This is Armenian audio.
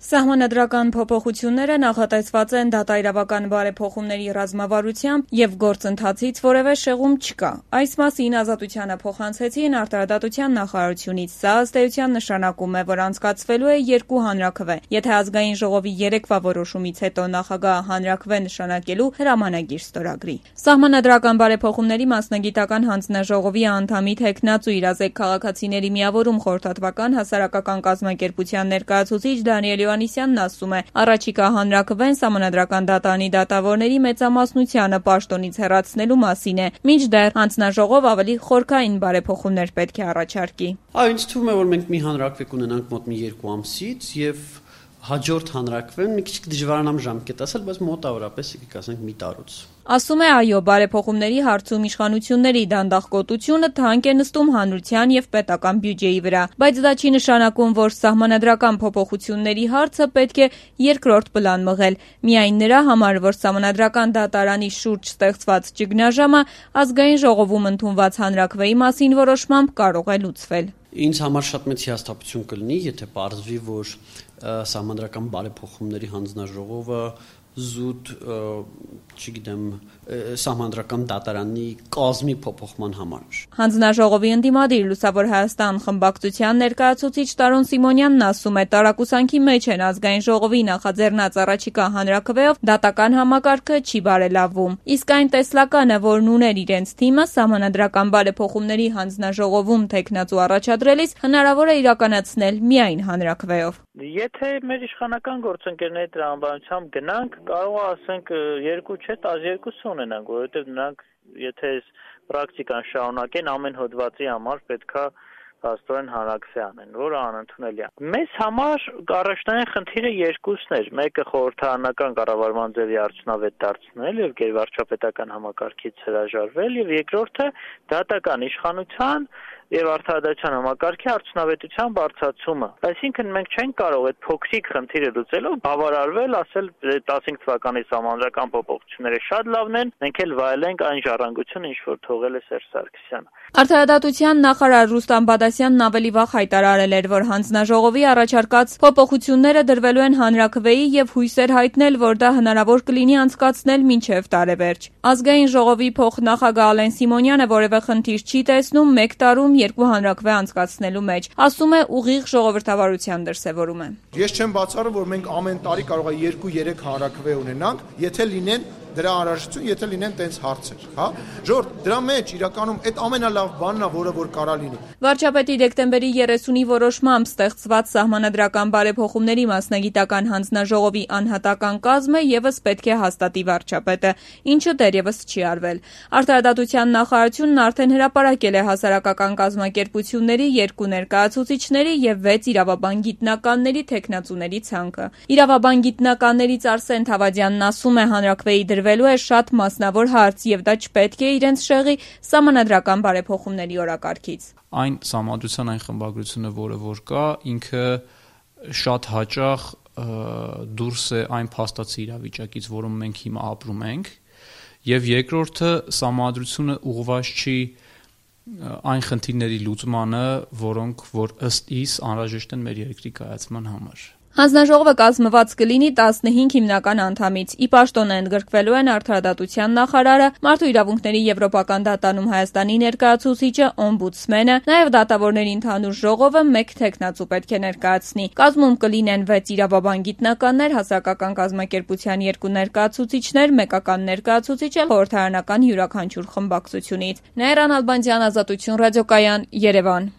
Սահմանադրական փոփոխությունները նախատեսված են դատաիրավական բարեփոխումների ռազմավարությամբ և գործընթացից որևէ շեղում չկա։ Այս մասին Ազատությանը փոխանցեցին Արտարադատության նախարարությունից։ Սա ըստ էության նշանակում է, որ անցկացվելու է երկու հանրաքվե, եթե Ազգային ժողովի երեկվա որոշումից հետո նախագահը հանրաքվե նշանակելու հրամանագիր ստորագրի։ Սահմանադրական բարեփոխումների մասնագիտական հանձնաժողովի անդամի թեկնածու Իրազեկ քաղաքացիների միավորում խորհրդատվական հասարակական կազմակերպության ներկայացուցիչ Դանիել Հովհաննիսյանն ասում է, առաջիկա հանրաքվեն Սահմանադրական դատարանի դատավորների մեծամասնությանը պաշտոնից հեռացնելու մասին է, մինչդեռ հանձնաժողով ավելի խորքային բարեփոխումներ պետք է առաջարկի։ Ինձ թվում է, որ մենք մի հանրաքվե կունենանք մոտ մի 2 ամսից եւ հաջորդ հանրաքվեն մի քիչ դժվարանամ ժամկետ ասել, բայց մոտավորապես եկեք ասենք մի տարուց։ Ասում է, այո, բարեփոխումների հարցում իշխանությունների դանդաղկոտությունը թանկ է նստում հանրության եւ պետական բյուջեի վրա, բայց դա չի նշանակում, որ սահմանադրական փոփոխությունների հարցը պետք է երկրորդ պլան մղել։ Միայն նրա համար, որ Սահմանադրական դատարանի շուրջ ստեղծված ճգնաժամը Ազգային ժողովում ընդունված հանրաքվեի մասին որոշմամբ կարող է լուծվել։ Ինձ համար շատ մեծ հիասթափություն կլինի, եթե պարզվի, որ Սահմանադրական բարեփոխումների հանձնաժողովը զուտ, չգիտեմ, Սահմանադրական դատարանի կազմի փոփոխման համար։ Հանձնաժողովի ընդդիմադիր Լուսավոր Հայաստան խմբակցության ներկայացուցիչ Տարոն Սիմոնյանն ասում է, տարակուսանքի մեջ են Ազգային ժողովի նախաձեռնած առաջիկա հանրաքվեով դատական համակարգը չի բարելավվում։ Իսկ այն տեսլականը, որն ուներ իրենց թիմը, Սահմանադրական բարեփոխումների հանձնաժողովում թեկնածու առաջադրելիս հնարավոր է իրականացնել միայն հանրաքվեով։ Եթե մեր իշխանական գործընկերների տրամաբանությամբ գնանք, կարող է ասենք 2 չէ, 12 ունենանք, որովհետև նրանք եթե այս պրակտիկան շարունակեն, ամեն հոդվածի համար պետքա հաստորեն հանրաքվե անեն, որը անընդունելի է։ Մեզ համար առաջնային խնդիրը երկուսն էր՝ մեկը խորհրդարանական կառավարման ձևի արդյունավետ դարձնել եւ գերվարչապետական համակարգից հրաժարվել, եւ երկրորդը դատական իշխանության եւ արդարադատության համակարգի արդյունավետության բարձրացումը։ Այսինքն մենք չենք կարող այդ փոքրիկ խնդիրը լուծելով բավարարվել, ասել 15 թվականի սահմանադրական փոփոխությունները շատ լավն են, մենք էլ վայելենք այն ժառանգությունը, ինչ որ թողել է Սերժ Սարգսյանը։ Արդարադատության նախարար Ռուստամ Բադասյանն ավելի վաղ հայտարարել էր, որ հանձնաժողովի առաջարկած փոփոխությունները դրվելու են հանրաքվեի եւ հույսեր հայտնել, որ դա հնարավոր կլինի անցկացնել մինչեւ տարեվերջ։ Ազգային ժողովի փոխնախագահ Ալեն Սիմոնյանը որևէ խնդիր չի տեսնում 1 տարում 2 հանրաքվե անցկացնելու մեջ, ասում է ուղիղ ժողովրդավարության դրսևորում է։ Ես չեմ բացառում, որ մենք ամեն տարի կարող է 2-3 հանրաքվե ունենանք, եթե լինեն դրա անհրաժեշտություն, եթե լինեն տենց հարցեր, հա։ Ժողովուրդ, դրա մեջ իրականում այդ ամենալավ բանն է, որը որ կարա լինի։ Վարչապետի դեկտեմբերի 30-ի որոշմամբ ստեղծված Սահմանադրական բարեփոխումների մասնագիտական հանձնաժողովի անհատական կազմը եւս պետք է հաստատի վարչապետը, ինչը դեռևս չի արվել։ Արտարադատության նախարարությունն արդեն հրապարակել է հասարակական կազմակերպությունների 2 ներկայացուցիչների եւ 6 իրավաբան գիտնականների թեկնածուների ցանկը։ Իրավաբան գիտնականներից Արսեն Թավադյանն ասում է, հանրաքվեի դրվելու է շատ մասնավոր հարց եւ դա չպետք է իրենց շեղի Սահմանադրական բարեփոխումների օրակարգից։ Այն սահմանադրության այն խմբագրությունը, որը որ կա, ինքը շատ հաճախ դուրս է այն փաստացի իրավիճակից, որում մենք հիմա ապրում ենք, եւ երկրորդը սահմանադրությունը ուղղված չի այն խնդիրների լուծմանը, որոնք որ ըստ իս անհրաժեշտ են մեր երկրի կայացման համար։ Հանձնաժողովը կազմված կլինի 15 հիմնական անդամից։ Ի պաշտոն ընդգրկվելու են Արդարադատության նախարարը, Մարդու իրավունքների եվրոպական դատարանում Հայաստանի ներկայացուցիչը, օմբուդսմենը, նաև դատավորների ընդհանուր ժողովը 1 թեկնածու պետք է ներկայացնի։ Կազմում կլինեն 6 իրավաբան գիտնականներ, հասարակական կազմակերպության 2 ներկայացուցիչներ, մեկական ներկայացուցիչ էլ խորհրդարանական յուրաքանչյուր խմբակցությունից։ Նաիրա Նալբանդյան, Ազատություն ռադիոկայան, Երևան։